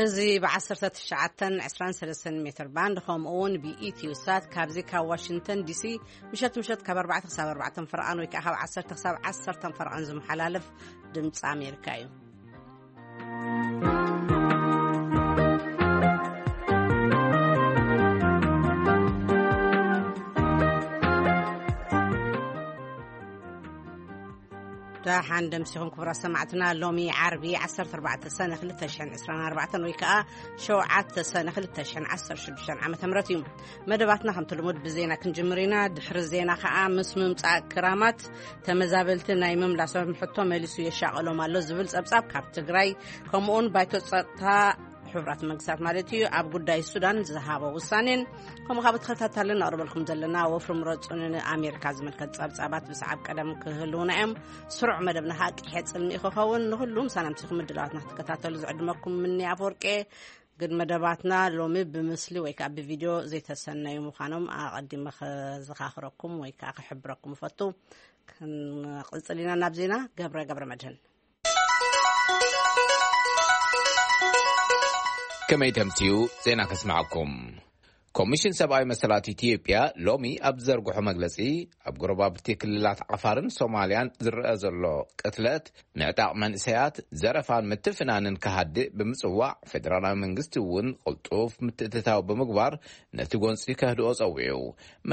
እዚ ብ19 20 23 ሜትር ባንድ፣ ከምኡ እውን ብኢትዮ ሳት ካብዚ ካብ ዋሽንግተን ዲሲ ምሸት ምሸት ካብ ኣርባዕተ ክሳብ ኣርባዕተ ፈረቓን ወይ ከዓ ካብ ዓሰርተ ክሳብ ዓሰርተ ፈረቓን ዝመሓላለፍ ድምፂ ኣሜሪካ እዩ። ደሓን ደምሲኹም ክቡራት ሰማዕትና። ሎሚ ዓርቢ ዓሰርተ ኣርባዕተ ሰነ ክልተ ሽሕን ዕስራን ኣርባዕተን ወይ ከዓ ሸውዓተ ሰነ ክልተ ሽሕን ዓሰርተ ሽዱሽተን ዓመተ ምህረት እዩ። መደባትና ከምቲ ልሙድ ብዜና ክንጅምር ኢና። ድሕሪ ዜና ከዓ ምስ ምምፃእ ክራማት ተመዛበልቲ ናይ ምምላሶም ሕቶ መሊሱ የሻቐሎም ኣሎ ዝብል ጸብጻብ ካብ ትግራይ፣ ከምኡውን ባይቶ ጸጥታ ሕቡራት መንግስታት ማለት እዩ ኣብ ጉዳይ ሱዳን ዝሃቦ ውሳኔን፣ ከምኡ ካብ ተኸታታሊ ነቕርበልኩም ዘለና ወፍሪ ምረጹ ንኣሜሪካ ዝምልከት ጸብጻባት ብሰዓብ ቀደም ክህልውና እዮም። ስሩዕ መደብና ከዓ ቂሐ ጽልሚ ክኸውን። ንኹሉ ምሳና ምሲኹም ምድላዋትና ክትከታተሉ ዝዕድመኩም ምኒ ኣፈወርቄ። ግን መደባትና ሎሚ ብምስሊ ወይ ከዓ ብቪድዮ ዘይተሰነዩ ምዃኖም ኣቐዲመ ከዘኻኽረኩም ወይ ከዓ ክሕብረኩም እፈቱ። ክንቕጽል ኢና ናብ ዜና። ገብረ ገብረ መድህን። ከመይ ተምስዩ ዜና ከስምዓኩም። ኮሚሽን ሰብኣዊ መሰላት ኢትዮጵያ ሎሚ ኣብ ዝዘርግሖ መግለጺ፣ ኣብ ጎረባብቲ ክልላት ዓፋርን ሶማልያን ዝረኣ ዘሎ ቅትለት፣ ምዕጣቕ መንእሰያት፣ ዘረፋን ምትፍናንን ክሃድእ ብምጽዋዕ፣ ፌደራላዊ መንግስቲ እውን ቅልጡፍ ምትእትታው ብምግባር ነቲ ጎንጺ ከህድኦ ጸዊዑ።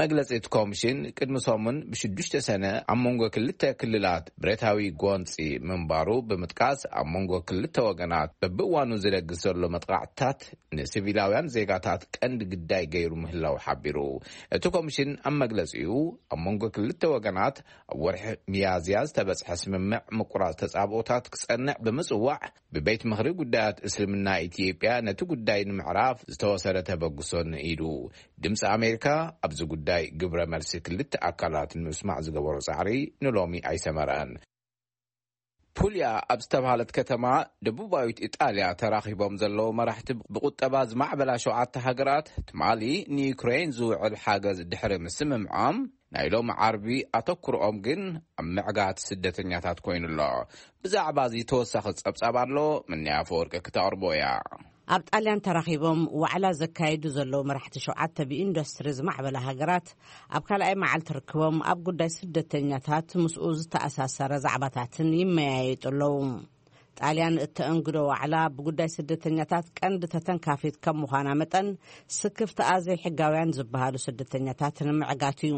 መግለጺ እቲ ኮሚሽን ቅድሚ ሰሙን ብሽዱሽተ ሰነ ኣብ መንጎ ክልተ ክልላት ብረታዊ ጎንጺ ምንባሩ ብምጥቃስ፣ ኣብ መንጎ ክልተ ወገናት በብእዋኑ ዝደግስ ዘሎ መጥቃዕትታት ንሲቪላውያን ዜጋታት ቀንዲ ግዳይ ገይሩ ምህላው ሓቢሩ። እቲ ኮሚሽን ኣብ መግለጺኡ፣ ኣብ መንጎ ክልተ ወገናት ኣብ ወርሒ ሚያዝያ ዝተበጽሐ ስምምዕ ምቁራጽ ተጻብኦታት ክጸንዕ ብምጽዋዕ፣ ብቤት ምኽሪ ጉዳያት እስልምና ኢትዮጵያ ነቲ ጉዳይ ንምዕራፍ ዝተወሰደ ተበግሶ ንኢዱ። ድምፂ ኣሜሪካ ኣብዚ ጉዳይ ግብረ መልሲ ክልተ ኣካላት ንምስማዕ ዝገበሮ ጻዕሪ ንሎሚ ኣይሰመረን። ፑልያ ኣብ ዝተባሃለት ከተማ ደቡባዊት ኢጣልያ ተራኺቦም ዘለዉ መራሕቲ ብቁጠባ ዝማዕበላ ሸውዓተ ሃገራት፣ ትማሊ ንዩክሬን ዝውዕል ሓገዝ ድሕሪ ምስምምዖም፣ ናይ ሎሚ ዓርቢ ኣተኩሮኦም ግን ኣብ ምዕጋት ስደተኛታት ኮይኑ ኣሎ። ብዛዕባ እዚ ተወሳኺ ጸብጻብ ኣሎ፣ ምንያ ኣፈወርቂ ክተቕርቦ እያ። ኣብ ጣልያን ተራኺቦም ዋዕላ ዘካየዱ ዘለዉ መራሕቲ ሸውዓተ ብኢንዱስትሪ ዝማዕበላ ሃገራት፣ ኣብ ካልኣይ መዓልቲ ርክቦም ኣብ ጉዳይ ስደተኛታት ምስኡ ዝተኣሳሰረ ዛዕባታትን ይመያየጡ ኣለዉ። ጣልያን እተእንግዶ ዋዕላ ብጉዳይ ስደተኛታት ቀንዲ ተተንካፊት ከም ምዃና መጠን፣ ስክፍትኣ ዘይሕጋውያን ዝበሃሉ ስደተኛታት ንምዕጋት እዩ።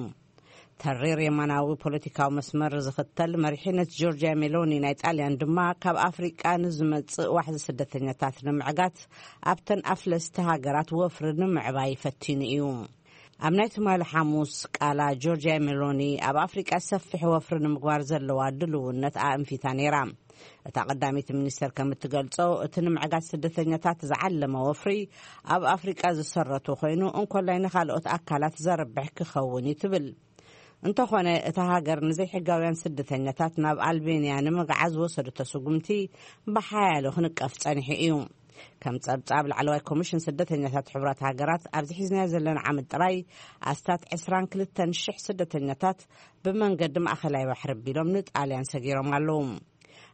ተሪር የማናዊ ፖለቲካዊ መስመር ዝኽተል መሪሕነት ጆርጂያ ሜሎኒ ናይ ጣልያን ድማ፣ ካብ ኣፍሪቃ ንዝመጽእ ዋሕዚ ስደተኛታት ንምዕጋት ኣብተን ኣፍለስቲ ሃገራት ወፍሪ ንምዕባይ ፈቲኑ እዩ። ኣብ ናይ ትማሊ ሓሙስ ቃላ፣ ጆርጂያ ሜሎኒ ኣብ ኣፍሪቃ ሰፊሕ ወፍሪ ንምግባር ዘለዋ ድልውነት ኣእንፊታ ነይራ። እታ ቀዳመይቲ ሚኒስተር ከም እትገልጾ፣ እቲ ንምዕጋት ስደተኛታት ዝዓለመ ወፍሪ ኣብ ኣፍሪቃ ዝሰረቱ ኮይኑ፣ እንኮላይ ንኻልኦት ኣካላት ዘርብሕ ክኸውን እዩ ትብል። እንተኾነ፣ እታ ሃገር ንዘይሕጋውያን ስደተኛታት ናብ ኣልቤንያ ንምግዓዝ ዝወሰደቶ ስጉምቲ ብሓያሎ ክንቀፍ ጸኒሑ እዩ። ከም ጸብጻብ ላዕለዋይ ኮሚሽን ስደተኛታት ሕቡራት ሃገራት፣ ኣብዚ ሒዝናዮ ዘለና ዓመት ጥራይ ኣስታት ዕስራን ክልተን ሽሕ ስደተኛታት ብመንገዲ ማእከላይ ባሕሪ ኣቢሎም ንጣልያን ሰጊሮም ኣለዉ።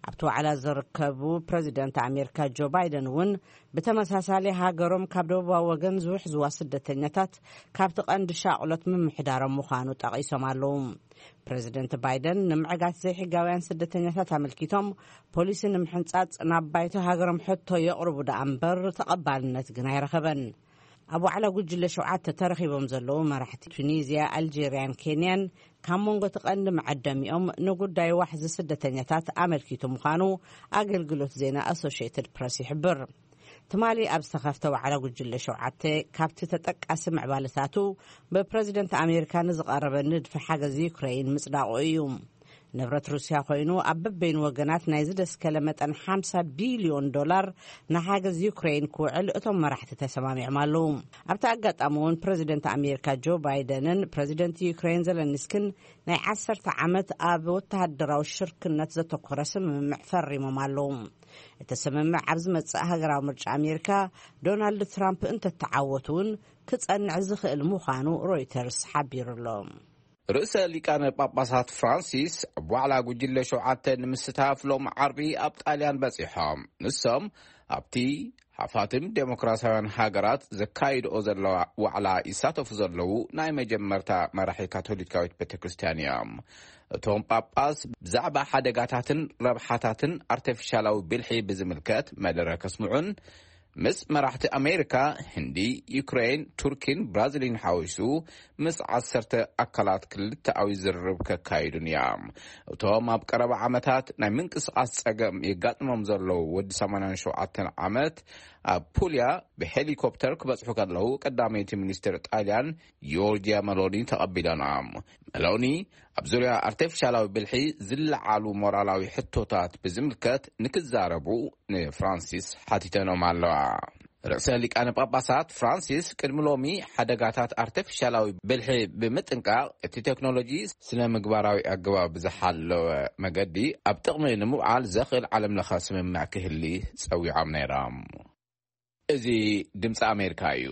ኣብቲ ዋዕላ ዝርከቡ ፕረዚደንት ኣሜሪካ ጆ ባይደን እውን ብተመሳሳሊ፣ ሃገሮም ካብ ደቡባዊ ወገን ዝውሕዝዋ ስደተኛታት ካብቲ ቀንዲ ሻቕሎት ምምሕዳሮም ምዃኑ ጠቒሶም ኣለዉ። ፕረዚደንት ባይደን ንምዕጋት ዘይሕጋውያን ስደተኛታት ኣመልኪቶም ፖሊሲ ንምሕንጻጽ ናብ ባይቶ ሃገሮም ሕቶ የቕርቡ ደኣ እምበር፣ ተቐባልነት ግን ኣይረኸበን። ኣብ ዋዕላ ጉጅለ ሸውዓተ ተረኺቦም ዘለዉ መራሕቲ ቱኒዝያ፣ ኣልጄርያን ኬንያን፣ ካብ መንጎ እቲ ቀንዲ መዐደሚኦም ንጉዳይ ዋሕዚ ስደተኛታት ኣመልኪቱ ምዃኑ ኣገልግሎት ዜና ኣሶሽየትድ ፕረስ ይሕብር። ትማሊ ኣብ ዝተኸፍተ ዋዕላ ጉጅለ ሸውዓተ፣ ካብቲ ተጠቃሲ ምዕባለታቱ፣ ብፕረዚደንት ኣሜሪካ ንዝቐረበ ንድፊ ሓገዝ ዩክረይን ምጽዳቑ እዩ። ንብረት ሩስያ ኮይኑ ኣብ በበይኑ ወገናት ናይ ዝደስከለ መጠን ሓምሳ ቢልዮን ዶላር ንሓገዝ ዩክሬን ክውዕል እቶም መራሕቲ ተሰማሚዖም ኣለዉ። ኣብቲ ኣጋጣሚ እውን ፕረዚደንት ኣሜሪካ ጆ ባይደንን ፕረዚደንት ዩክሬን ዘለንስክን ናይ ዓሰርተ ዓመት ኣብ ወተሃደራዊ ሽርክነት ዘተኮረ ስምምዕ ፈሪሞም ኣለዉ። እቲ ስምምዕ ኣብ ዝመጽእ ሃገራዊ ምርጫ ኣሜሪካ ዶናልድ ትራምፕ እንተተዓወቱ እውን ክጸንዕ ዝኽእል ምዃኑ ሮይተርስ ሓቢሩ ኣሎ። ርእሰ ሊቃነ ጳጳሳት ፍራንሲስ ኣብ ዋዕላ ጉጅለ ሸውዓተ ንምስታፍ ሎም ዓርቢ ኣብ ጣልያን በጺሖም። ንሶም ኣብቲ ሓፋትም ዴሞክራሲያውያን ሃገራት ዘካይድኦ ዘለዋ ዋዕላ ይሳተፉ ዘለዉ ናይ መጀመርታ መራሒ ካቶሊካዊት ቤተ ክርስቲያን እዮም። እቶም ጳጳስ ብዛዕባ ሓደጋታትን ረብሓታትን ኣርቲፊሻላዊ ብልሒ ብዝምልከት መደረ ከስምዑን ምስ መራሕቲ ኣሜሪካ፣ ህንዲ፣ ዩክሬን፣ ቱርኪን ብራዚልን ሓዊሱ ምስ ዓሰርተ ኣካላት ክልተኣዊ ዝርርብ ከካይዱን እዮም። እቶም ኣብ ቀረባ ዓመታት ናይ ምንቅስቓስ ጸገም የጋጥሞም ዘለዉ ወዲ ሰማንያን ሸውዓተን ዓመት ኣብ ፑልያ ብሄሊኮፕተር ክበጽሑ ከለዉ ቀዳመይቲ ሚኒስትር ጣልያን ጆርጂያ መሎኒ ተቐቢሎናም። መሎኒ ኣብ ዙርያ ኣርቲፊሻላዊ ብልሒ ዝለዓሉ ሞራላዊ ሕቶታት ብዝምልከት ንክዛረቡ ንፍራንሲስ ሓቲተኖም ኣለዋ። ርእሰ ሊቃነ ጳጳሳት ፍራንሲስ ቅድሚ ሎሚ ሓደጋታት ኣርቲፊሻላዊ ብልሒ ብምጥንቃቕ እቲ ቴክኖሎጂ ስነ ምግባራዊ ኣገባብ ዝሓለወ መገዲ ኣብ ጥቕሚ ንምውዓል ዘኽእል ዓለም ለኸ ስምምዕ ክህሊ ጸዊዖም ነይሮም። እዚ ድምፂ ኣሜሪካ እዩ።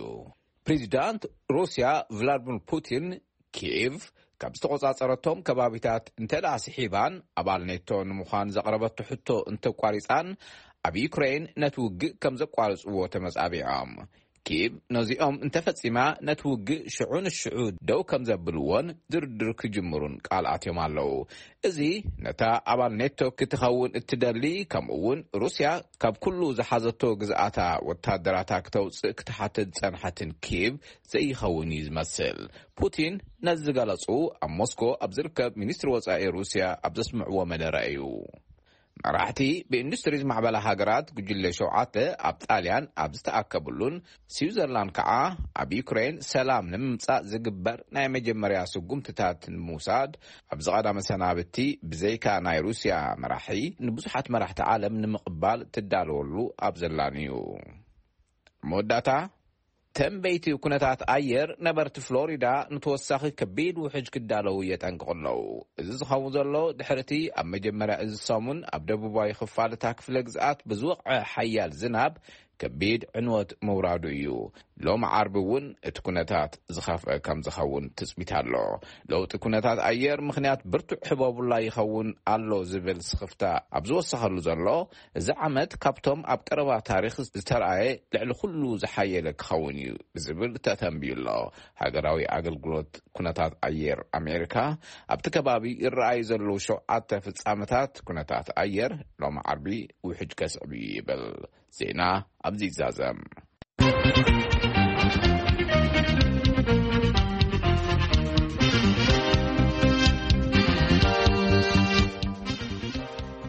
ፕሬዚዳንት ሩስያ ቭላድሚር ፑቲን ኪቭ ካብ ዝተቆጻጸረቶም ከባቢታት እንተ ደኣ ስሒባን ኣባል ኔቶ ንምዃን ዘቕረበቶ ሕቶ እንተቋሪጻን ኣብ ዩክሬን ነቲ ውግእ ከም ዘቋርጽዎ ተመጻቢዖም። ኪቭ ነዚኦም እንተፈጺማ ነቲ ውግእ ሽዑ ንሽዑ ደው ከም ዘብልዎን ድርድር ክጅምሩን ቃል ኣትዮም ኣለዉ። እዚ ነታ ኣባል ኔቶ ክትኸውን እትደሊ፣ ከምኡ እውን ሩስያ ካብ ኩሉ ዝሓዘቶ ግዝኣታ ወታደራታ ክተውፅእ ክትሓትት ዝጸንሐትን ኪቭ ዘይኸውን እዩ ዝመስል። ፑቲን ነዚ ዝገለጹ ኣብ ሞስኮ ኣብ ዝርከብ ሚኒስትሪ ወጻኢ ሩስያ ኣብ ዘስምዕዎ መደረ እዩ። መራሕቲ ብኢንዱስትሪ ዝማዕበላ ሃገራት ጉጅለ ሸውዓተ ኣብ ጣልያን ኣብ ዝተኣከብሉን ስዊዘርላንድ ከዓ ኣብ ዩክሬን ሰላም ንምምጻእ ዝግበር ናይ መጀመርያ ስጉምትታት ንምውሳድ ኣብዚ ቀዳመ ሰናብቲ ብዘይካ ናይ ሩስያ መራሒ ንብዙሓት መራሕቲ ዓለም ንምቕባል ትዳለወሉ ኣብ ዘላን እዩ። መወዳእታ ተንበይቲ ኩነታት ኣየር ነበርቲ ፍሎሪዳ ንተወሳኺ ከቢድ ውሕጅ ክዳለዉ የጠንቅቑ ኣለዉ። እዚ ዝኸውን ዘሎ ድሕርቲ ኣብ መጀመርያ እዚ ሰሙን ኣብ ደቡባዊ ክፋል እታ ክፍለ ግዝኣት ብዝወቕዐ ሓያል ዝናብ ከቢድ ዕንወት ምውራዱ እዩ። ሎሚ ዓርቢ እውን እቲ ኩነታት ዝኸፍአ ከም ዝኸውን ትጽቢት ኣሎ። ለውጢ ኩነታት ኣየር ምኽንያት ብርቱዕ ሕቦቡላ ይኸውን ኣሎ ዝብል ስኽፍታ ኣብ ዝወሰኸሉ ዘሎ፣ እዚ ዓመት ካብቶም ኣብ ቀረባ ታሪኽ ዝተረኣየ ልዕሊ ኩሉ ዝሓየለ ክኸውን እዩ ዝብል ተተንብዩ ኣሎ። ሃገራዊ ኣገልግሎት ኩነታት ኣየር ኣሜሪካ ኣብቲ ከባቢ ይረኣዩ ዘለዉ ሸውዓተ ፍጻመታት ኩነታት ኣየር ሎሚ ዓርቢ ውሕጅ ከስዕብ እዩ ይብል። ዜና ኣብዚ ይዛዘም።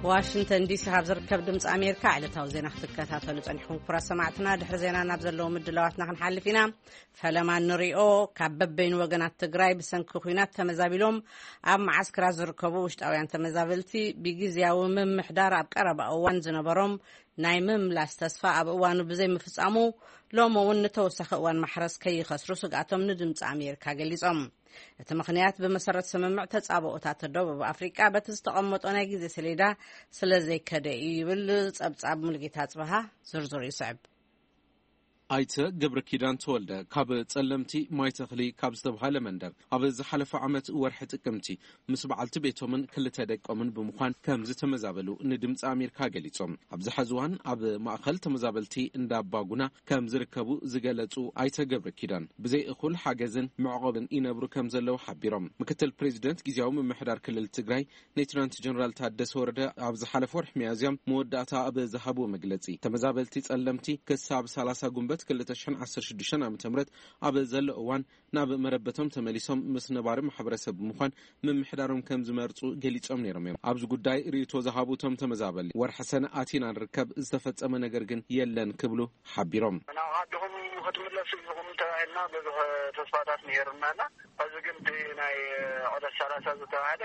ዋሽንግተን ዲሲ ካብ ዝርከብ ድምፂ ኣሜሪካ ዕለታዊ ዜና ክትከታተሉ ጸኒሕኩም ክቡራት ሰማዕትና። ድሕሪ ዜና ናብ ዘለዉ ምድላዋትና ክንሓልፍ ኢና። ፈለማ ንሪኦ። ካብ በበይኑ ወገናት ትግራይ ብሰንኪ ኲናት ተመዛቢሎም ኣብ መዓስከራት ዝርከቡ ውሽጣውያን ተመዛበልቲ ብግዝያዊ ምምሕዳር ኣብ ቀረባ እዋን ዝነበሮም ናይ ምምላስ ተስፋ ኣብ እዋኑ ብዘይምፍጻሙ፣ ሎሚ እውን ንተወሳኺ እዋን ማሕረስ ከይኸስሩ ስግኣቶም ንድምፂ ኣሜሪካ ገሊጾም። እቲ ምኽንያት ብመሰረት ስምምዕ ተጻብኦታት ደቡብ ኣፍሪቃ በቲ ዝተቐመጦ ናይ ግዜ ሰሌዳ ስለ ዘይከደ እዩ ይብል ጸብጻብ ሙልጌታ ጽበሃ። ዝርዝሩ ይስዕብ። ኣይተ ገብረ ኪዳን ተወልደ ካብ ጸለምቲ ማይ ተኽሊ ካብ ዝተብሃለ መንደር ኣብ ዝሓለፈ ዓመት ወርሒ ጥቅምቲ ምስ በዓልቲ ቤቶምን ክልተ ደቆምን ብምዃን ከም ዝተመዛበሉ ንድምፂ ኣሜሪካ ገሊጾም። ኣብዚ ሐዚ እዋን ኣብ ማእኸል ተመዛበልቲ እንዳባጉና ከም ዝርከቡ ዝገለጹ ኣይተ ገብረ ኪዳን፣ ብዘይ እኹል ሓገዝን መዕቆብን ይነብሩ ከም ዘለዉ ሓቢሮም። ምክትል ፕሬዚደንት ግዝያዊ ምምሕዳር ክልል ትግራይ ሌትናንት ጀነራል ታደሰ ወረደ ኣብ ዝሓለፈ ወርሒ ሚያዝያ መወዳእታ ኣብ ዝሃብዎ መግለጺ፣ ተመዛበልቲ ጸለምቲ ክሳብ ሰላሳ ጉንበት ክልተ ሽሕን ዓሰርተ ሽዱሽተን ዓመተ ምህረት ኣብ ዘሎ እዋን ናብ መረበቶም ተመሊሶም ምስ ነባሪ ማሕበረሰብ ብምዃን ምምሕዳሮም ከም ዝመርጹ ገሊጾም ነይሮም እዮም። ኣብዚ ጉዳይ ርእይቶ ዝሃቡ እቶም ተመዛበልቲ፣ ወርሒ ሰነ ኣቲና ንርከብ፣ ዝተፈጸመ ነገር ግን የለን ክብሉ ሓቢሮም። ናብ ዓድኹም ክትምለሱ ኢኹም ተባሂልና ብዙሕ ተስፋታት ነይሩና እና፣ ሕዚ ግን እቲ ናይ ዕለት ሰላሳ ዝተባህለ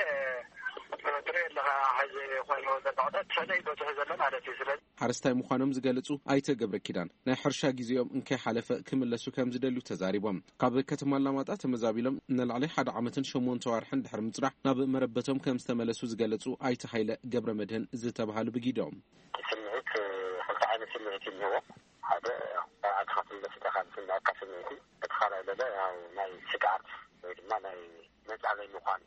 ትርኢ ኣለኻ፣ ሕዚ ኮይኑ ዘሎ ዕደት ሰለይ በዝሑ ዘሎ ማለት እዩ። ስለዚ ሓረስታይ ምዃኖም ዝገልጹ ኣይተ ገብረ ኪዳን፣ ናይ ሕርሻ ግዜኦም እንከይሓለፈ ክምለሱ ከም ዝደልዩ ተዛሪቦም። ካብ ከተማ ኣላማጣ ተመዛቢሎም ንላዕሊ ሓደ ዓመትን ሸሞንተ ዋርሕን ድሕሪ ምጽናሕ ናብ መረበቶም ከም ዝተመለሱ ዝገለጹ ኣይተ ሃይለ ገብረ መድህን ዝተባሃሉ ብጊዶም። ስምዒት ክልተ ዓይነት ስምዒት እኒሀዎ። ሓደ፣ ኣትኻ ትምለስ ኢኻ ዝስምዐካ ስምዒት እዩ። እቲ ካልኣይ ለለ ያው ናይ ስግኣት ወይ ድማ ናይ መጻለይ ምዃን፣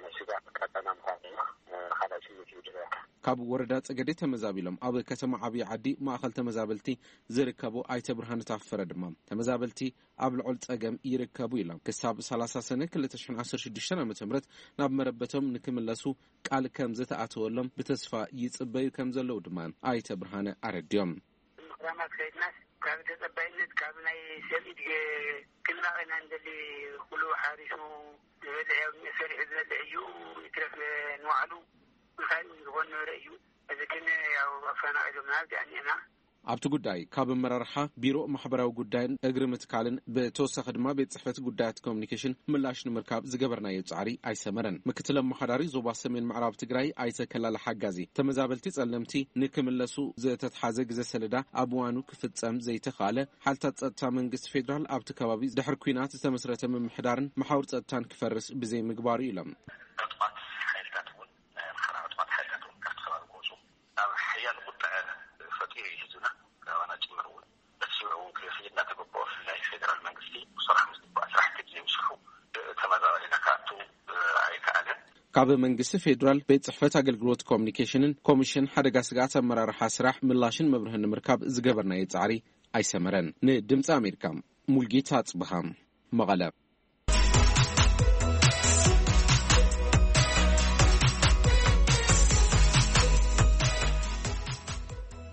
ናይ ስግኣት ቀጠና ምዃን ድማ ካልኣይ ስምዒት እዩ ዝረኣካ። ካብ ወረዳ ጸገዴ ተመዛቢሎም ኣብ ከተማ ዓብዪ ዓዲ ማእኸል ተመዛበልቲ ዝርከቡ ኣይተ ብርሃነ ታፈረ ድማ፣ ተመዛበልቲ ኣብ ልዑል ጸገም ይርከቡ ኢሎም። ክሳብ ሰላሳ ሰነ ክልተ ሽሕን ዓሰርተ ሽዱሽተን ዓመተ ምህረት ናብ መረበቶም ንክምለሱ ቃል ከም ዝተኣተወሎም ብተስፋ ይጽበዩ ከም ዘለዉ ድማ ኣይተ ብርሃነ ኣረድዮም። ምኽራማት ከይድናስ ካብ ተጸባይነት ካብ ናይ ሰብ ኢድ ክንራቕ ኢና እንደሊ። ኩሉ ሓሪሱ ዝበልዕ፣ ያው ሰሪሑ ዝበልዕ እዩ። ይትረፍ ንባዕሉ እንታይ ዝኾን ነበረ እዩ። እዚ ግን ያው ኣፈናቒሎምና ኣብዚኣ እኒአና። ኣብቲ ጉዳይ ካብ ኣመራርሓ ቢሮ ማሕበራዊ ጉዳይን እግሪ ምትካልን ብተወሳኺ ድማ ቤት ጽሕፈት ጉዳያት ኮሚኒኬሽን ምላሽ ንምርካብ ዝገበርናዮ ጻዕሪ ኣይሰመረን። ምክትል ኣመሓዳሪ ዞባ ሰሜን ምዕራብ ትግራይ ኣይተ ከላለ ሓጋዚ፣ ተመዛበልቲ ጸለምቲ ንክምለሱ ዝተትሓዘ ግዜ ሰሌዳ ኣብ እዋኑ ክፍጸም ዘይተኻለ፣ ሓይልታት ጸጥታ መንግስቲ ፌዴራል ኣብቲ ከባቢ ድሕሪ ኲናት ዝተመስረተ ምምሕዳርን መሓውር ጸጥታን ክፈርስ ብዘይምግባሩ ኢሎም። ዕጡቓት ሓይልታት እውን፣ ናይ ኣምሓራ ዕጡቓት ሓይልታት እውን ካብቲ ከባቢ ክወፁ ናብ ሓያል ቁጥዐ ፈጢሩ እዩ ህዝብና፣ ካባና ጭምር እውን። በቲ ሽዑ እውን ክፍሊት እናተገበኦ፣ ብፍላይ ፌደራል መንግስቲ ብሰራሕ ምስ ዝበኣ ስራሕቲ ብዘይምስርሑ ተመዛባሊና ክኣቱ ኣይከኣለን። ካብ መንግስቲ ፌዴራል ቤት ጽሕፈት ኣገልግሎት ኮሚኒኬሽንን ኮሚሽን ሓደጋ ስግኣት ኣመራርሓ ስራሕ ምላሽን መብርህን ንምርካብ ዝገበርናዮ ጻዕሪ ኣይሰመረን። ንድምፂ ኣሜሪካ፣ ሙልጌታ ኣጽብሃ፣ መቐለ።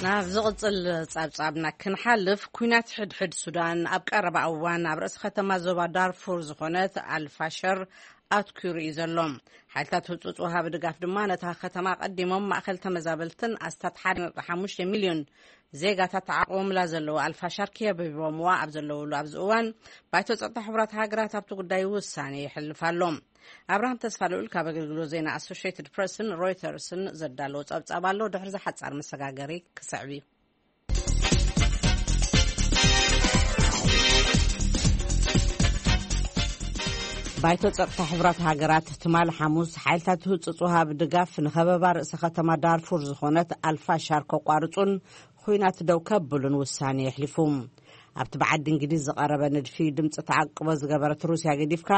ናብ ዝቕጽል ጸብጻብና ክንሓልፍ፣ ኲናት ሕድሕድ ሱዳን ኣብ ቀረባ እዋን ኣብ ርእሲ ከተማ ዞባ ዳርፉር ዝኾነት ኣልፋሸር ኣትኲሩ እዩ ዘሎ። ሓይልታት ህጹጽ ወሃቢ ድጋፍ ድማ ነታ ከተማ ቀዲሞም ማእከል ተመዛበልትን ኣስታት ሓደ ነጥቢ ሓሙሽተ ሚልዮን ዜጋታት ተዓቑቦምላ ዘለዉ ኣልፋሻር ከቢቦምዋ ኣብ ዘለውሉ ኣብዚ እዋን፣ ባይቶ ጸጥታ ሕቡራት ሃገራት ኣብቲ ጉዳይ ውሳኔ የሕልፍ ኣሎ። ኣብርሃም ተስፋ ልኡል ካብ ኣገልግሎት ዜና ኣሶሽየትድ ፕረስን ሮይተርስን ዘዳለዎ ጸብጻብ ኣሎ። ድሕሪ ዝሓጻር መሰጋገሪ ክስዕብ እዩ። ባይቶ ጸጥታ ሕቡራት ሃገራት ትማል ሓሙስ ሓይልታት ህጹጽ ወሃቢ ድጋፍ ንኸበባ ርእሰ ከተማ ዳርፉር ዝኾነት ኣልፋሻር ከቋርጹን ኹናት ደው ከብሉን ውሳኔ የሕሊፉ። ኣብቲ ብዓዲ እንግሊዝ ዝቐረበ ንድፊ ድምጺ ተዓቅቦ ዝገበረት ሩስያ ገዲፍካ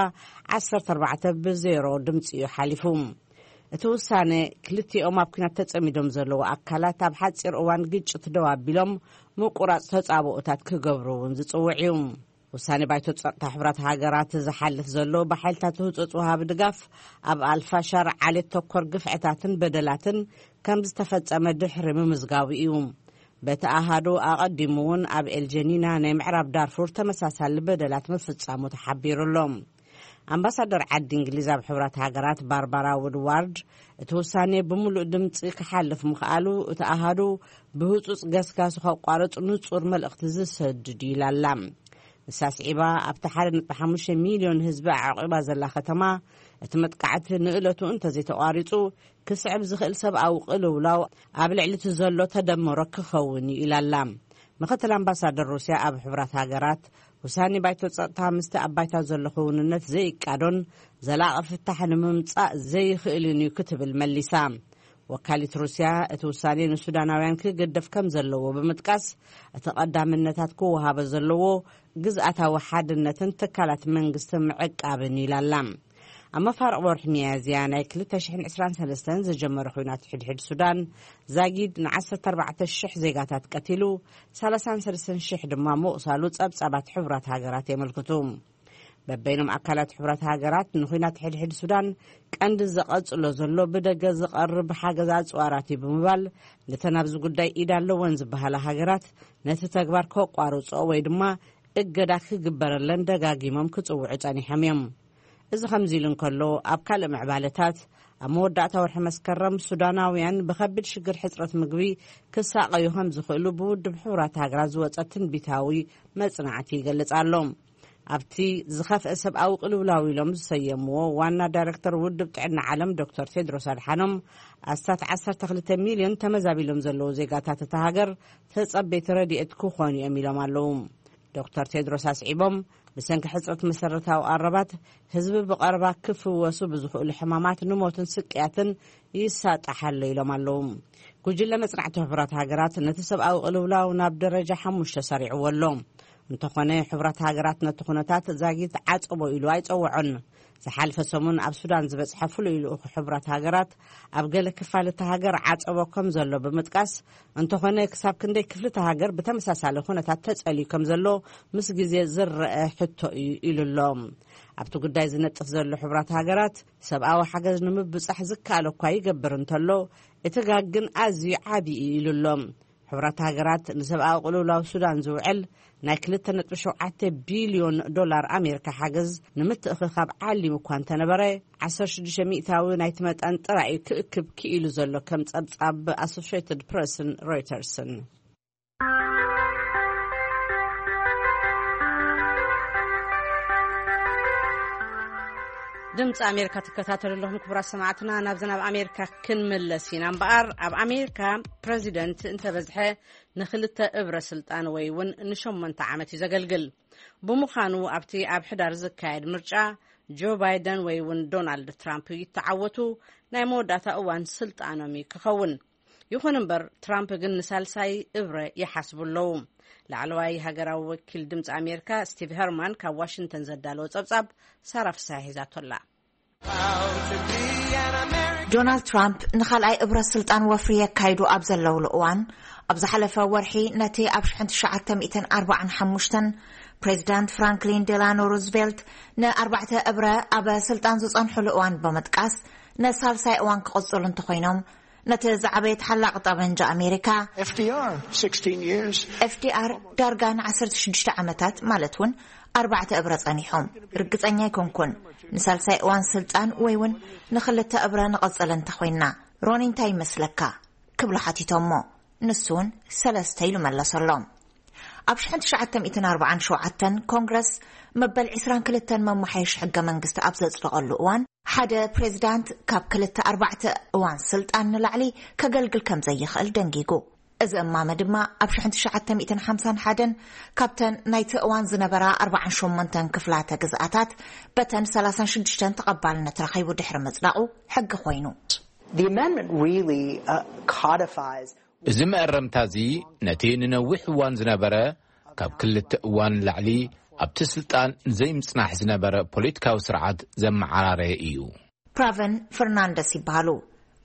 ዓሰርተ ኣርባዕተ ብዜሮ ድምጺ እዩ ሓሊፉ። እቲ ውሳነ ክልቲኦም ኣብ ኲናት ተጸሚዶም ዘለዉ ኣካላት ኣብ ሓጺር እዋን ግጭት ደው ኣቢሎም ምቁራጽ ተጻብኦታት ክገብሩ እውን ዝጽውዕ እዩ። ውሳኔ ባይቶ ጸጥታ ሕቡራት ሃገራት ዝሓልፍ ዘሎ ብሓይልታት ህጹጽ ወሃቢ ድጋፍ ኣብ ኣልፋሻር ዓሌት ተኮር ግፍዕታትን በደላትን ከም ዝተፈጸመ ድሕሪ ምምዝጋቡ እዩ። በቲ ኣሃዱ ኣቐዲሙ እውን ኣብ ኤልጀኒና ናይ ምዕራብ ዳርፉር ተመሳሳሊ በደላት ምፍጻሙ ተሓቢሩ ኣሎ። ኣምባሳደር ዓዲ እንግሊዝ ኣብ ሕቡራት ሃገራት ባርባራ ውድዋርድ እቲ ውሳኔ ብምሉእ ድምጺ ክሓልፍ ምኽኣሉ እቲ ኣሃዱ ብህጹጽ ገስጋሱ ከቋርጽ ንጹር መልእኽቲ ዝሰድድ እዩ ኢላ ኣላ። ንሳ ስዒባ ኣብቲ ሓደ ነጥቢ ሓሙሽተ ሚልዮን ህዝቢ ኣዕቂባ ዘላ ከተማ እቲ መጥቃዕቲ ንእለቱ እንተዘይተቋሪጹ ክስዕብ ዝኽእል ሰብኣዊ ቅልውላው ኣብ ልዕሊ እቲ ዘሎ ተደምሮ ክኸውን እዩ ኢላ ኣላ። ምኽትል ኣምባሳደር ሩስያ ኣብ ሕቡራት ሃገራት ውሳኔ ባይቶ ጸጥታ ምስቲ ኣብ ባይታ ዘሎ ክውንነት ዘይቃዶን ዘላቒ ፍታሕ ንምምጻእ ዘይኽእልን እዩ ክትብል መሊሳ። ወካሊት ሩስያ እቲ ውሳኔ ንሱዳናውያን ክግደፍ ከም ዘለዎ ብምጥቃስ እቲ ቀዳምነታት ክወሃቦ ዘለዎ ግዝኣታዊ ሓድነትን ትካላት መንግስቲ ምዕቃብን ኢላ ኣላ። ኣብ መፋርቕ ወርሒ ሚያዝያ ናይ ክልተ ሽሕን ዕስራን ሰለስተን ዝጀመረ ኹናት ሕድሕድ ሱዳን ዛጊድ ን ዓሰርተ ኣርባዕተ ሽሕ ዜጋታት ቀቲሉ፣ ሰላሳን ሰለስተን ሽሕ ድማ ምቑሳሉ ጸብጻባት ሕቡራት ሃገራት የመልክቱ። በበይኖም ኣካላት ሕቡራት ሃገራት ንኹናት ሕድሕድ ሱዳን ቀንዲ ዘቐጽሎ ዘሎ ብደገ ዝቐርብ ሓገዝ ኣጽዋራት እዩ ብምባል፣ ነተን ኣብዚ ጉዳይ ኢድ ኣለወን ዝበሃላ ሃገራት ነቲ ተግባር ከቋርጾ ወይ ድማ እገዳ ክግበረለን ደጋጊሞም ክጽውዑ ጸኒሖም እዮም። እዚ ከምዚ ኢሉ እንከሎ፣ ኣብ ካልእ ምዕባለታት፣ ኣብ መወዳእታ ወርሒ መስከረም ሱዳናውያን ብኸቢድ ሽግር ሕጽረት ምግቢ ክሳቐዩ ከም ዝኽእሉ ብውድብ ሕቡራት ሃገራት ዝወጸ ትንቢታዊ መጽናዕቲ ይገልጽ ኣሎ። ኣብቲ ዝኸፍአ ሰብኣዊ ቅልውላው ኢሎም ዝሰየምዎ ዋና ዳይረክተር ውድብ ጥዕና ዓለም ዶክተር ቴድሮስ ኣድሓኖም፣ ኣስታት ዓሰርተ ክልተ ሚልዮን ተመዛቢሎም ዘለዉ ዜጋታት እታ ሃገር ተጸበይቲ ረድኤት ክኾኑ እዮም ኢሎም ኣለዉ። ዶክተር ቴድሮስ ኣስዒቦም፣ ብሰንኪ ሕጽረት መሰረታዊ ቀረባት፣ ህዝቢ ብቐረባ ክፍወሱ ብዝኽእሉ ሕማማት ንሞትን ስቅያትን ይሳጣሕ ኣሎ ኢሎም ኣለዉ። ጉጅለ መጽናዕቲ ሕቡራት ሃገራት ነቲ ሰብኣዊ ቅልውላው ናብ ደረጃ ሓሙሽተ ሰሪዕዎ ኣሎ። እንተኾነ፣ ሕቡራት ሃገራት ነቲ ኩነታት ዛጊት ዓጸቦ ኢሉ ኣይጸውዖን። ዝሓልፈ ሰሙን ኣብ ሱዳን ዝበጽሐ ፍሉይ ልኡኽ ሕቡራት ሃገራት፣ ኣብ ገለ ክፋል እታ ሃገር ዓጸቦ ከም ዘሎ ብምጥቃስ፣ እንተኾነ፣ ክሳብ ክንደይ ክፍሊ እታ ሃገር ብተመሳሳሊ ኩነታት ተጸልዩ ከም ዘሎ ምስ ግዜ ዝረአ ሕቶ እዩ ኢሉ ኣሎ። ኣብቲ ጉዳይ ዝነጥፍ ዘሎ ሕቡራት ሃገራት፣ ሰብኣዊ ሓገዝ ንምብጻሕ ዝከኣሎ እኳ ይገብር እንተሎ፣ እቲ ጋግ ግን ኣዝዩ ዓቢ እዩ ኢሉ ኣሎ። ሕቡራት ሃገራት ንሰብኣዊ ቅልውላው ሱዳን ዝውዕል ናይ ክልተ ነጥቢ ሸውዓተ ቢልዮን ዶላር ኣሜሪካ ሓገዝ ንምትእኽኻብ ዓሊሙ እኳ እንተነበረ፣ ዓሰርተ ሽዱሽተ ሚእታዊ ናይቲ መጠን ጥራይ እዩ ክእክብ ክኢሉ ዘሎ፣ ከም ጸብጻብ ኣሶሽየትድ ፕረስን ሮይተርስን። ድምፂ ኣሜሪካ ትከታተሉ ኣለኹም ክቡራት ሰማዕትና። ናብዚ ናብ ኣሜሪካ ክንምለስ ኢና እምበኣር፣ ኣብ ኣሜሪካ ፕረዚደንት እንተበዝሐ ንክልተ እብረ ስልጣን ወይ እውን ንሸሞንተ ዓመት እዩ ዘገልግል። ብምዃኑ ኣብቲ ኣብ ሕዳር ዝካየድ ምርጫ ጆ ባይደን ወይ እውን ዶናልድ ትራምፕ ይተዓወቱ፣ ናይ መወዳእታ እዋን ስልጣኖም እዩ ክኸውን። ይኹን እምበር፣ ትራምፕ ግን ንሳልሳይ እብረ ይሓስቡ ኣለዉ። ላዕለዋይ ሃገራዊ ወኪል ድምፂ ኣሜሪካ ስቲቭ ሄርማን ካብ ዋሽንግተን ዘዳለዎ ጸብጻብ ሳራ ፍስሐ ሒዛቶ ኣላ። ዶናልድ ትራምፕ ንኻልኣይ እብረ ስልጣን ወፍሪ የካይዱ ኣብ ዘለውሉ እዋን፣ ኣብ ዝሓለፈ ወርሒ ነቲ ኣብ ሽሕን ትሽዓተ ሚእትን ኣርባዓን ሓሙሽተን ፕሬዚዳንት ፍራንክሊን ዴላኖ ሩዝቬልት ንኣርባዕተ እብረ ኣብ ስልጣን ዝጸንሑሉ እዋን ብምጥቃስ፣ ንሳልሳይ እዋን ክቕጽሉ እንተኾይኖም፣ ነቲ ዝዓበየ ተሓላቒ ጠበንጃ ኣሜሪካ F D R, sixteen years. ኤፍዲኣር ዳርጋ ንዓሰርተ ሽዱሽተ ዓመታት፣ ማለት እውን ኣርባዕተ እብረ ጸኒሖም። ርግጸኛ ኣይኮንኩን፣ ንሳልሳይ እዋን ስልጣን ወይ እውን ንኽልተ እብረ ንቐጽል እንተኾይንና። ሮኒ፣ እንታይ ይመስለካ? ክብሉ ሓቲቶሞ። ንሱ እውን ሰለስተ ኢሉ መለሰሎም። ኣብ ሽሕን ትሽዓተ ሚእትን ኣርባዓን ሸውዓተን ኮንግረስ መበል ዕስራን ክልተን መመሓየሺ ሕገ መንግስቲ ኣብ ዘጽደቐሉ እዋን፣ ሓደ ፕሬዚዳንት ካብ ክልተ ኣርባዕተ እዋን ስልጣን ንላዕሊ ከገልግል ከም ዘይኽእል ደንጊጉ። እዚ እማመ ድማ ኣብ ሽሕን ትሽዓተ ሚእትን ሓምሳን ሓደን ካብተን ናይቲ እዋን ዝነበራ ኣርባዓን ሸሞንተን ክፍላተ ግዝኣታት በተን ሰላሳን ሽዱሽተን ተቐባልነት ረኺቡ ድሕሪ ምጽዳቑ ሕጊ ኮይኑ። The amendment really uh, codifies እዚ መእረምታ እዚ ነቲ ንነዊሕ እዋን ዝነበረ ካብ ክልተ እዋን ንላዕሊ ኣብቲ ስልጣን ዘይምጽናሕ ዝነበረ ፖለቲካዊ ስርዓት ዘመዓራረየ እዩ። ፕራቨን ፈርናንደስ ይበሃሉ።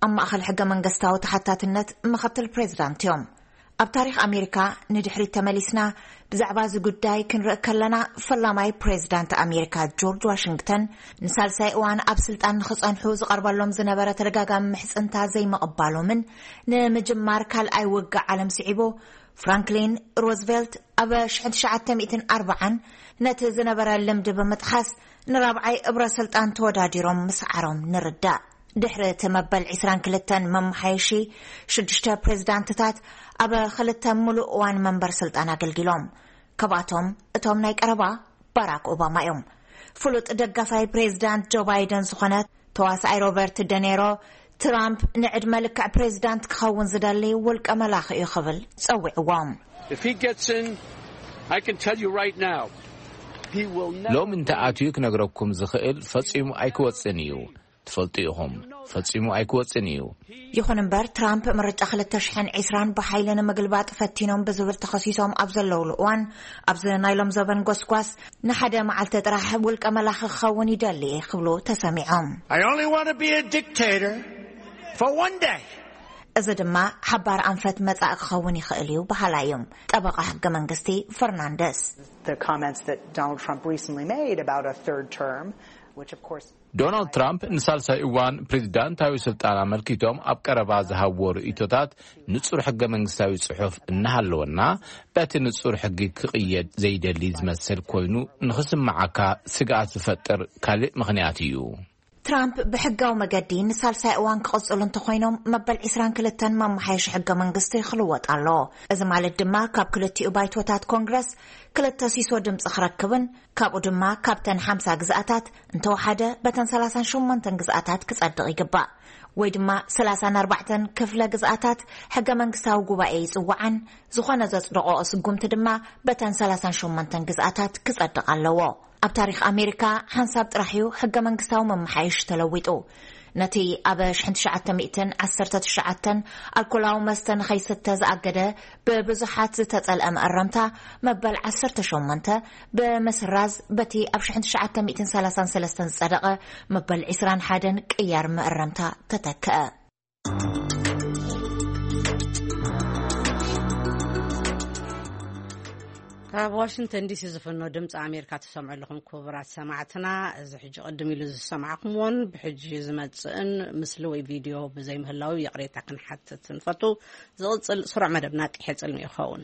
ኣብ ማእኸል ሕገ መንግስታዊ ተሓታትነት ምኽትል ፕሬዚዳንት እዮም። ኣብ ታሪኽ ኣሜሪካ ንድሕሪት ተመሊስና ብዛዕባ እዚ ጉዳይ ክንርኢ ከለና፣ ፈላማይ ፕሬዚዳንት ኣሜሪካ ጆርጅ ዋሽንግተን ንሳልሳይ እዋን ኣብ ስልጣን ንኽጸንሑ ዝቐርበሎም ዝነበረ ተደጋጋሚ ምሕጽንታ ዘይምቕባሎምን ንምጅማር ካልኣይ ውግእ ዓለም ስዒቡ፣ ፍራንክሊን ሮዝቬልት ኣብ ሽሕን ትሽዓተ ሚእትን ኣርባዓን ነቲ ዝነበረ ልምዲ ብምጥሓስ ንራብዓይ እብረ ስልጣን ተወዳዲሮም ምስዓሮም ንርዳእ። ድሕሪ እቲ መበል ዕስራን ክልተን መመሓየሺ፣ ሽዱሽተ ፕሬዚዳንትታት ኣብ ክልተ ምሉእ እዋን መንበር ስልጣን ኣገልጊሎም። ካብኣቶም እቶም ናይ ቀረባ ባራክ ኦባማ እዮም። ፍሉጥ ደጋፋይ ፕሬዚዳንት ጆ ባይደን ዝኾነ ተዋሳኣይ ሮበርት ደኔሮ፣ ትራምፕ ንዕድመ ልክዕ ፕሬዚዳንት ክኸውን ዝደሊ ውልቀ መላኺ እዩ ክብል ጸዊዕዎም። If he gets in, I can tell you right now, he will never. ሎም እንተ ኣትዩ ክነግረኩም ዝኽእል ፈጺሙ ኣይክወጽን እዩ። ትፈልጡ ኢኹም፣ ፈጺሙ ኣይክወጽን እዩ። ይኹን እምበር፣ ትራምፕ ምርጫ ክልተ ሽሕን ዕስራን ብሓይሊ ንምግልባጥ ፈቲኖም ብዝብል ተኸሲሶም ኣብ ዘለውሉ እዋን፣ ኣብዚ ናይ ሎም ዘበን ጎስጓስ ንሓደ መዓልቲ ጥራሕ ውልቀ መላኺ ክኸውን ይደሊ እየ ክብሉ ተሰሚዖም። I only want to be a dictator for one day. እዚ ድማ ሓባር ኣንፈት መጻኢ ክኸውን ይኽእል እዩ በሃላይ እዮም ጠበቓ ሕገ መንግስቲ ፈርናንደስ። The comments that Donald Trump recently made about a third term, which of course ዶናልድ ትራምፕ ንሳልሳይ እዋን ፕሬዚዳንታዊ ስልጣን ኣመልኪቶም ኣብ ቀረባ ዝሃብዎ ርእይቶታት፣ ንጹር ሕገ መንግስታዊ ጽሑፍ እናሃለወና፣ በቲ ንጹር ሕጊ ክቕየድ ዘይደሊ ዝመስል ኮይኑ ንኽስምዓካ ስግኣት ዝፈጥር ካልእ ምኽንያት እዩ። ትራምፕ ብሕጋዊ መገዲ ንሳልሳይ እዋን ክቕጽሉ እንተኾይኖም፣ መበል ዒስራን ክልተን መመሓየሺ ሕገ መንግስቲ ክልወጥ ኣሎ። እዚ ማለት ድማ ካብ ክልቲኡ ባይቶታት ኮንግረስ ክልተ ሲሶ ድምፂ ክረክብን ካብኡ ድማ ካብተን ሓምሳ ግዝኣታት እንተወሓደ በተን ሰላሳን ሸሞንተን ግዝኣታት ክጸድቕ ይግባእ። ወይ ድማ ሰላሳን ኣርባዕተን ክፍለ ግዝኣታት ሕገ መንግስታዊ ጉባኤ ይጽውዓን ዝኾነ ዘጽደቖ ስጉምቲ ድማ በተን ሰላሳን ሸሞንተን ግዝኣታት ክጸድቕ ኣለዎ። ኣብ ታሪኽ ኣሜሪካ ሓንሳብ ጥራሕ እዩ ሕገ መንግስታዊ መመሓየሽ ተለዊጡ። ነቲ ኣብ ሽሕን ትሽዓተ ሚእትን ዓሰርተ ትሽዓተን ኣልኮላዊ መስተ ንኸይስተ ዝኣገደ ብብዙሓት ዝተጸልአ መእረምታ መበል ዓሰርተ ሸሞንተ ብምስራዝ በቲ ኣብ ሽሕን ትሽዓተ ሚእትን ሰላሳን ሰለስተን ዝጸደቐ መበል ዒስራን ሓደን ቅያር መእረምታ ተተክአ። ካብ ዋሽንግተን ዲሲ ዝፍኖ ድምፂ ኣሜሪካ ትሰምዑ ኣለኹም ክቡራት ሰማዕትና። እዚ ሕጂ ቅድም ኢሉ ዝሰማዕኩምዎን ብሕጂ ዝመፅእን ምስሊ ወይ ቪድዮ ብዘይምህላው ይቕሬታ ክንሓትት ንፈቱ። ዝቕፅል ስሩዕ መደብና ቂሐ ፅልሚ ይኸውን።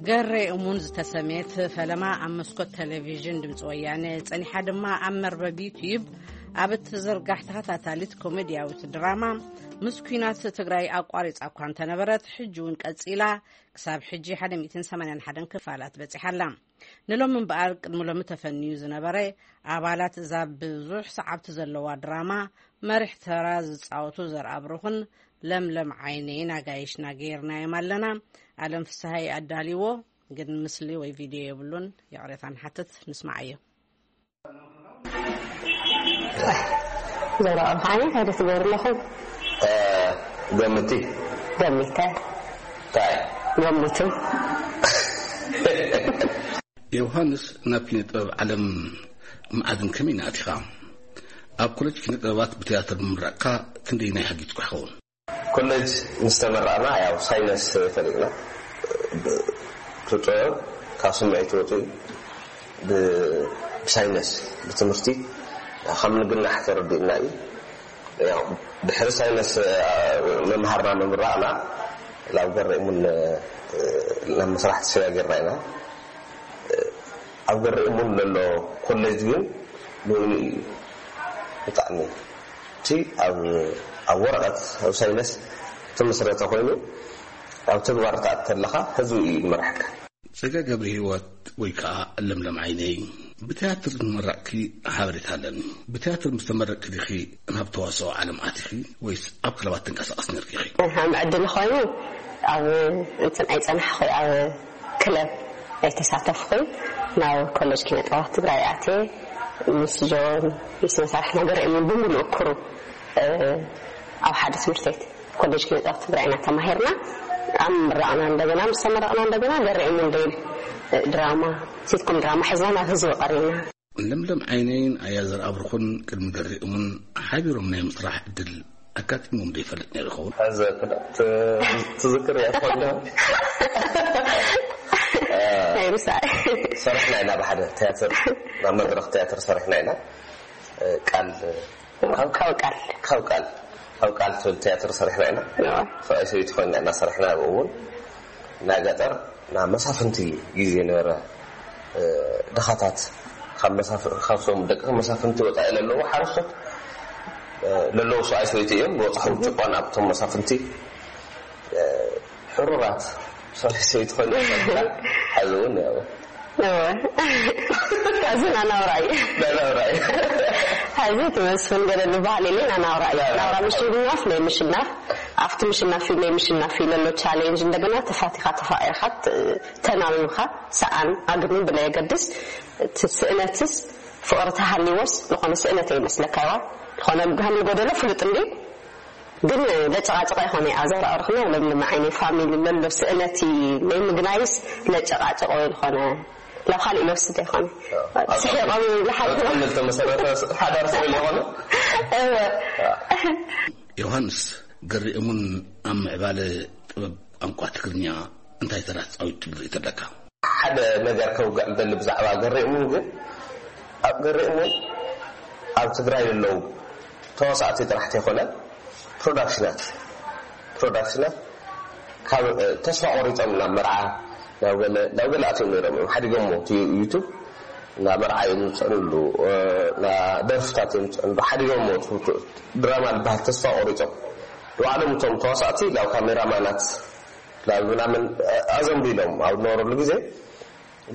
ገሬ እሙን ዝተሰምየት ፈለማ ኣብ መስኮት ቴሌቪዥን ድምፂ ወያነ ጸኒሓ ድማ ኣብ መርበብ ዩትዩብ ኣብ እትዝርጋሕ ተኸታታሊት ኮሜድያዊት ድራማ ምስ ኲናት ትግራይ ኣቋሪጻ እኳ እንተነበረት፣ ሕጂ እውን ቀጺላ ክሳብ ሕጂ ሓደ ሚእትን ሰማንያን ሓደን ክፋላት በጺሓ ኣላ። ንሎሚ እምበኣር ቅድሚ ሎሚ ተፈንዩ ዝነበረ ኣባላት እዛ ብዙሕ ሰዓብቲ ዘለዋ ድራማ መሪሕ ተራ ዝጻወቱ ዘርኣብሩኽን ለምለም ዓይነይን ኣጋይሽና ገይርናዮም ኣለና። ኣለም ፍስሃይ ኣዳልዎ፣ ግን ምስሊ ወይ ቪድዮ የብሉን። ይቕሬታ ንሓትት፣ ንስማዓዮ። ዘርኣብሩኽ ዓይነይ እንታይ ዶ ትገብሩ ኣለኹም? እ፣ ገምቲ። ገሚተ። እንታይ? ገምቱ። ዮሃንስ፣ ናብ ኪነ ጥበብ ዓለም መዓዝን ከመይን ኣቲኻ? ኣብ ኮሌጅ ኪነ ጥበባት ብትያትር ምምራቕካ ክንደየናይ ሓጊዝኩ ይኸውን? ኮሌጅ ምስ ተመረቕና፣ ያው ሳይነስ ፈሊጥና። ብ-፣ ጥበብ ካብ ስምዒት ወፂኡ ብ-፣ ብሳይነስ፣ ብትምህርቲ ከም ንግናሕ ተረዲእና እዩ። ያው ድሕሪ ሳይነስ፣ አ፣ ምምሃርና ምምራቕና ናብ ገሬ እሙን፣ እ፣ ናብ ምስራሕ ተሰጋጊርና ኢና። ኣብ ገሬ እሙን ዘሎ ኮሌጅ ግን ብእውኑ እዩ ብጣዕሚ እቲ ኣብ፣ ኣብ ወረቐት ኣብ ሳይነስ ተመስረተ ኮይኑ ኣብ ተግባር ተኣት ተለኻ ህዝቢ እዩ ዝመርሐካ። ጸጋ ገብረ ህይወት ወይ ከኣ ለምለም ዓይነይ፣ ብትያትር ዝመረቕኪ ሓበሬታ ኣለኒ። ብትያትር ምስ ተመረቕኪ ዲኺ ናብ ተዋስኦ ዓለም ኣቲኺ ወይስ ኣብ ክለባት ትንቀሳቐስ ነርኪ ኢኺ? ከም ዕድል ኮይኑ ኣብ እንትን ኣይጸናሕኹ፣ ኣብ ክለብ ኣይተሳተፍኹን። ናብ ኮሌጅ ኪነ ጥበባት ትግራይ ኣትየ ምስ ጆን ምስ መሳርሕና ገሬ እሙን ብምሉእ ክሩ፣ እ፣ ኣብ ሓደ ትምህርቲ ቤት ኮሌጅ ኪነ ጥበባት ትግራይ ኢና ተማሂርና። ኣብ ምረቕና እንደገና፣ ምስ ተመረቕና እንደገና ገሬ እሙን ደይል፣ እ፣ ድራማ፣ ሲትኮም ድራማ ሒዝና ናብ ህዝቢ ቀሪብና። ለምለም ዓይነይን ኣያ ዘርኣብሩኽን ቅድሚ ገሬ እሙን ሓቢሮም ናይ ምስራሕ ዕድል ኣጋጢሞም ዶ ይፈልጥ ነይሩ ይኸውን? ሕዚ ክዳ-፣ ት-፣ ትዝክር እያ ትኾን ዶ? እ፣ ኣይርሳዕ። ሰሪሕና ኢና ብሓደ ትያትር፣ ናብ መድረኽ ትያትር ሰሪሕና ኢና። እ፣ ቃል፣ ካብ፣ ካብ ቃል። ካብ ቃል፣ ካብ ቃል ትብል ትያትር ሰሪሕና ኢና። እዋ። ሰብኣይ ሰበይቲ ኮይንና ኢና ሰሪሕና። ኣብኡ እውን ናይ ገጠር፣ ናይ መሳፍንቲ ግዜ ነበረ። እ፣ ድኻታት ካብ መሳፍ-፣ ካብቶም ደቂ መሳፍንቲ ወጻኢ ለለዉ ሓረስቶት፣ እ፣ ለለዉ ሰብኣይ ሰበይቲ እዮም። ዝበጻሕዎም ጭቆና ኣብቶም መሳፍንቲ፣ እ፣ ሕሩራት ሰብኣይ ሰበይቲ ኮይኑ ይፈልጣ። ሕዚ እውን ያው እወ። ሕዚ ናናውራ እዩ። ናናውራ እዩ። ሕዚ እቲ መስፍን ገለ ዝበሃል የለ፣ ናናውራ እዩ። ናናውራ። ናናውራ ምሽናፍ፣ ናይ ምሽናፍ፣ ኣብቲ ምሽናፍ እዩ፣ ናይ ምሽናፍ እዩ ለሎ ቻሌንጅ። እንደገና ተፋቲኻ፣ ተፋቒርካ፣ ት-፣ ተናቢብካ፣ ሰኣን ኣግኒ ብለየገድስ፣ እቲ ስእነትስ ፍቕሪ ተሃልይዎስ፣ ዝኾነ ስእነት ይመስለካ ይዋ። ዝኾነ ከም ዝጎደሎ ፍሉጥ እንድዩ። ግን ለጨቓጨቓ ይኾነ ኣዘራርኽና ለምለም ዓይነይ ፋሚሊ ለሎ ስእነቲ ለይምግናይስ ለጨቓጨቆ ዝኾነ ላብ ካልእ ኢለ ወስደ ይኾነ። ኣብ ስሒቆም ይብሉ ሓንቲ ኣብ ጥቕሚ ዝተመሰረተ ሓዳር ስለ ዝኾነ። እወ። ዮሃንስ፣ ገሪእሙን ኣብ ምዕባለ ጥበብ ቋንቋ ትግርኛ እንታይ ተራ ተጻዊቱ ትብል ርእይቶ ኣለካ? ሓደ ነገር ከውግዕ ዝደሊ ብዛዕባ ገሬ እሙን ግን፣ ኣብ ገሬ እሙን ኣብ ትግራይ ዘለዉ ተዋሳእቲ ጥራሕ ተይኮነ፣ ፕሮዳክሽናት፣ ፕሮዳክሽናት ካብ ተስፋ ቆሪፆም ናብ መርዓ ናብ ገለ ናብ ገለ ኣትዮም ነይሮም እዮም ሓዲጎሞ እቲ ዩቱብ ናብ መርዓ እዮም ዝፅዕንሉ ናብ ደርፍታት እዮም ዝፅዕንሉ ሓዲጎሞ ድራማ ዝበሃል ተስፋ ቆሪፆም ንባዕሎም እቶም ተዋሳእቲ ናብ ካሜራማናት ናብ ምናምን ኣዘንቢሎም ኣብ ዝነበረሉ ግዜ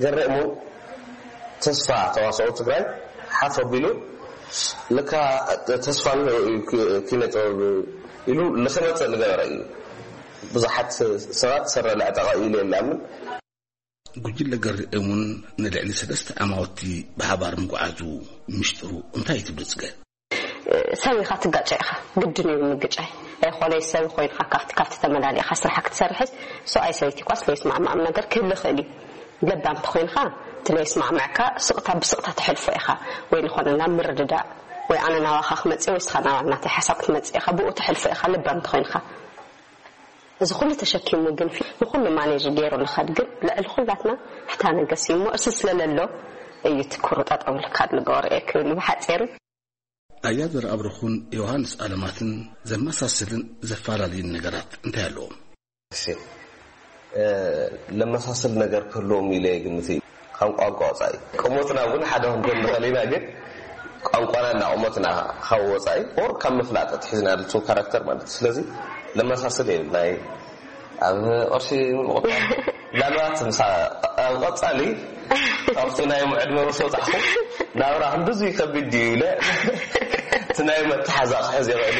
ገረሙ ተስፋ ተዋሳኦ ትግራይ ሓፍ ኣቢሉ ለካ ተስፋ ኪነ ጥበብ ኢሉ ንክመፅእ ዝገበረ እዩ። ብዙሓት ሰባት ሰረ ለዕጠቐ ኢሉ የላምን። ጉጅለ ገርኤሙን ንልዕሊ ሰለስተ ዓማውቲ ብሓባር ምጉዓዙ ምሽጥሩ እንታይ እዩ ትብሉ ፅገ? ሰብ ኢኻ ትጋጨ ኢኻ ግድን እዩ ምግጫይ ኣይኾነይ ሰብ ኮይንካ ካብቲ ካብቲ ተመላሊእካ ስራሕካ ክትሰርሕስ ሰብኣይ ሰበይቲ ኳስ ለይስማዕማዕም ነገር ክህሉ ይኽእል እዩ ለባም ተኮይንካ እቲ ለይስማዕማዕካ ስቕታ ብስቕታ ተሕልፎ ኢኻ ወይ ዝኾነ ናብ ምርድዳእ ወይ ኣነ ናባኻ ክመፅእ ወይ ስኻ ናብ ናተይ ሓሳብ ክትመፅእ ኢኻ ብኡ ተሕልፎ ኢኻ ለባም ተኮይንካ እዚ ኩሉ ተሸኪሙ ግን ንኩሉ ማኔጅ ገይሩ ንኸድ ግን ልዕሊ ኩላትና ሕታ ነገስ እዩ እሞ እሱ ስለለሎ እዩ ትኩሩ ጠጠው ኢልካ ልገበሮ እየ ክብል ብሓፂሩ ኣያዘር ኣብርኹን ዮሃንስ ኣለማትን ዘመሳስልን ዘፈላለዩን ነገራት እንታይ ኣለዎም? ለመሳስል ነገር ክህልዎም ኢለ ግምት እዩ ካብ ቋንቋ ወፃኢ ቁመትና እውን ሓደ ክንኮን ንኽእል ኢና ግን ቋንቋና እና ቁመትና ካብ ወፃኢ ኦር ካብ ምፍላጥ ኣትሒዝና ልቱ ካራክተር ማለት እዩ ስለዚ ለመሳስል እዩ ናይ ኣብ ቅርሺ ምቁጣር ምናልባት ምሳ ኣብ ቀፃሊ ካብቲ ናይ ዕድመ ምስ ወፃዕኹ ናብራ ክንድዙ ከቢድ ድዩ ኢለ እቲ ናይ መተሓዛ ክሕዝ ይኽእል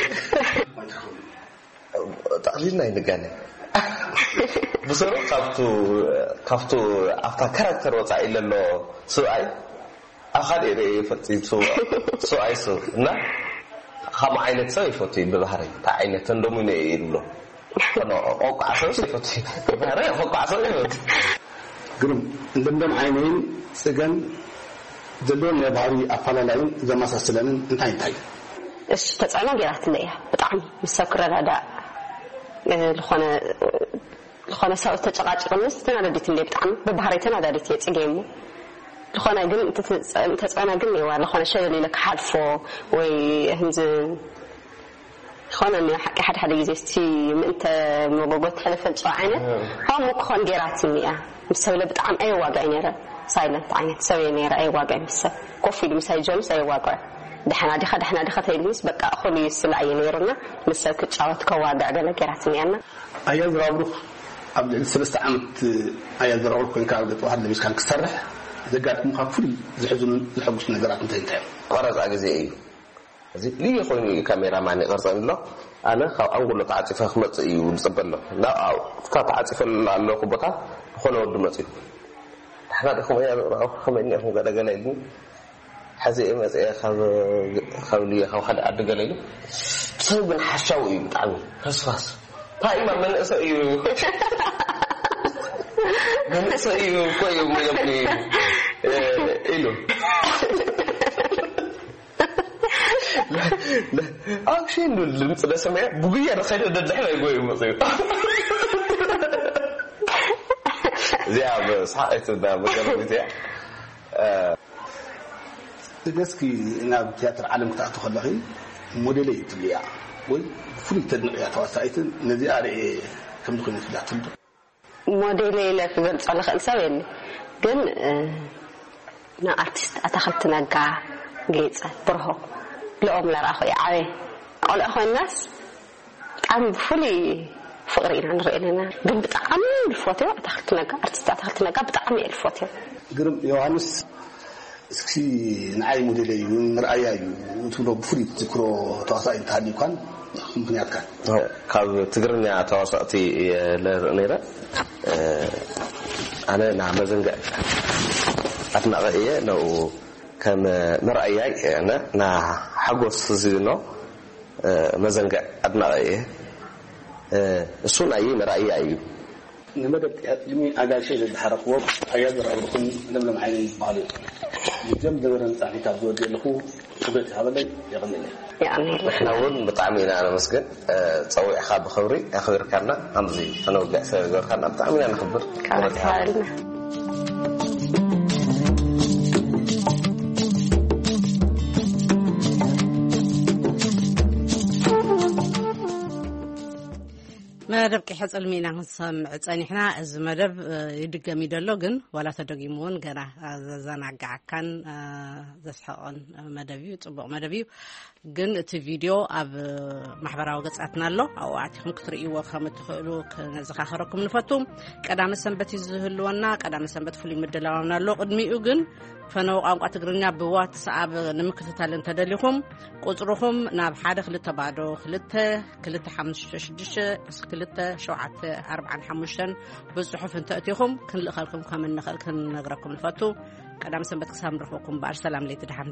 እዩ ጠቕሊልና ይንጋነ ብሰሩ ካብቱ ካብቱ ኣብታ ካራክተር ወፃኢ ለሎ ስብኣይ ኣብ ካልእ ርእየ ይፈልጥ እዩ ሰብኣይ ሰብ እና ካብ ዓይነት ሰብ ይፈቱ እዩ ብባህሪ እንታይ ዓይነት ተንደሙነ እዩ ይብሎ ቆቋዕ ሰብ ይፈቱ ባህሪ ቆቋዕ ሰብ ይፈቱ ግርም እንደምደም ዓይነይን ፅገን ዘለዎም ናይ ባህሪ ኣፋላላይን ዘመሳስለንን እንታይ እንታይ እዩ? እሺ ተፅዕኖ ገይራትለ እያ ብጣዕሚ ምስ ሰብ ክረዳዳእ ዝኾነ ዝኾነ ሰብ ተጨቃጭቅንስ ተናዳዲት እንደ ብጣዕሚ ብባህሪ ተናዳዲት እየ ፅገ እሞ ዝኾነ ግን ተፅዕኖ ግን እዋ ዝኾነ ሸለል ኢለ ክሓልፎ ወይ ህንዚ ዝኾነ እኒኦ ሓቂ ሓደ ሓደ ግዜ እስቲ ምእንተ መጎጎ ትሕልፈል ጨዋ ዓይነት ሃሙ ክኾን ገይራትኒ እያ ምስ ሰብለ ብጣዕሚ ኣየዋግዐ ነይረ ሳይለንት ዓይነት ሰብ እየ ነይረ ኣየዋግዐ ምስ ሰብ ኮፍ ኢሉ ምሳይ ጀምስ ኣየዋግዐ ደሕና ዲኻ ደሕና ዲኻ ተይሉኒስ በቃ እኹል እዩ ስላ እየ ነይሩና ምስ ሰብ ክጫወት ከዋግዕ ገለ ገይራትኒ እያና ኣያ ዝራብሩኽ ኣብ ልዕሊ ሰለስተ ዓመት ኣያ ዝራብሩኽ ኮይንካ ኣብ ገጠ ዋሃድ ለቢስካን ክሰርሕ ዘጋጥሙካ ፍሉይ ዝሕዝኑን ዝሐጉስ ነገራት እንታይ እንታይ እዮም? ቀረፃ ግዜ እዩ እዚ ልየ ኮይኑ እዩ ካሜራ ማን ይቐርፀኒ ኣሎ ኣነ ካብ ኣንጎሎ ተዓፂፈ ክመፅእ እዩ ዝፅበ ኣሎ ናብ ኣብታ ተዓፂፈ ኣለኹ ቦታ ዝኾነ ወዲ መፅኡ ንሕና ዲኹም እያ ዝቕረቐ ከመይ እኒኹም ገለ ገለ ኢልኒ ሕዚ እየ መፅአ ካብ ልየ ካብ ሓደ ዓዲ ገለ ኢሉ ሰብ ግን ሓሻው እዩ ብጣዕሚ ፈስፋስ ታይማ መንእሰ እዩ መንእሰ እዩ እኮ እዩ ኢሎም ኢሉ ኣክሽን ድምፅ ደሰመያ ብጉያ ደኸደ ደድሕረ ይጎዩ መፅዩ እዚኣ ብስሓቀት መገረሚት እያ እስኪ ናብ ትያትር ዓለም ክትኣቱ ከለኺ ሞዴለይ ትብልያ ወይ ብፍሉይ ተድንቅያ ተዋሳኢትን ነዚኣ ርኤ ከምዚ ኮይኑ ትብላ ትፈልጡ ሞዴለ ኢለ ክገልጾ ልኽእል ሰብ የለ ግን ንኣርቲስት ኣታኽልቲ ነጋ ጌፀ ብርሆ ልኦም ለራኹ እየ ዓበየ ቆልዑ ኮይናስ ብጣዕሚ ብፍሉይ ፍቅሪ ኢና ንርኢ ኣለና ግን ብጣዕሚ ልፎትዮ ኣታኽልቲ ነጋ ኣርቲስት ኣታኽልቲ ነጋ ብጣዕሚ እየ ልፎትዮ ግርም ዮሃንስ እስኪ ንዓይ ሞዴለይ እዩ ምርኣያ እዩ ትብሎ ብፍሉይ ትዝክሮ ተዋሳኢ እንተሃልዩካን ምክንያትካ ካብ ትግርኛ ተዋሳእቲ እየ ለርኢ ነይረ ኣነ ና መዘንግዕ ኣድናቂ እየ ነኡ ከም መርኣያይ ና ሓጎስ ዝብኖ መዘንግዕ ኣድናቂ እየ እሱ ናይ መርኣያ እዩ ንመደብ ቅድሚ ኣጋይሸይ ዘዝሓረኽዎም ኣያ ዘርኣብርኹም ለምለም ዓይነይ ዝበሃሉ እዮም። ንጀም ነበረ ንጻሕኒ ካብ ዝወዲ ኣለኹ ክብረት ይሃበለይ የቐንለይ። የቐንየልና። ንሕና እውን ብጣዕሚ ኢና ነመስግን። ጸዊዕኻ ብኽብሪ ኣኽቢርካና ኣምዚ ክነውግዕ ስለ ዝገበርካና ብጣዕሚ ኢና ነኽብር። ክብረት ይሃበልና። መደብ ቂሐ ጽልሚ ኢና ክንሰምዕ ጸኒሕና። እዚ መደብ ይድገም ይደሎ፣ ግን ዋላ ተደጊሙ እውን ገና ዘዘናግዓካን ዘስሐቕን መደብ እዩ። ጽቡቕ መደብ እዩ። ግን እቲ ቪድዮ ኣብ ማሕበራዊ ገጻትና ኣሎ። ኣብኡ ኣቲኹም ክትርእይዎ ከም እትኽእሉ ክነዘኻኸረኩም ንፈቱ። ቀዳመ ሰንበት እዩ ዝህልወና። ቀዳመ ሰንበት ፍሉይ ምድላዋና ኣሎ። ቅድሚኡ ግን ፈነወ ቋንቋ ትግርኛ ብዋትስኣብ ንምክትታል እንተደሊኹም፣ ቁጽርኹም ናብ ሓደ ክልተ ባዶ ክልተ ክልተ ሓሙሽተ ሽዱሽተ ክልተ ሸውዓተ ኣርባዓን ሓሙሽተን ብጽሑፍ እንተእቲኹም ክንልእኸልኩም ከም እንኽእል ክንነግረኩም ንፈቱ። ቀዳም ሰንበት ክሳብ ንረኽበኩም እምበኣር ሰላም ለይቲ ደሓን።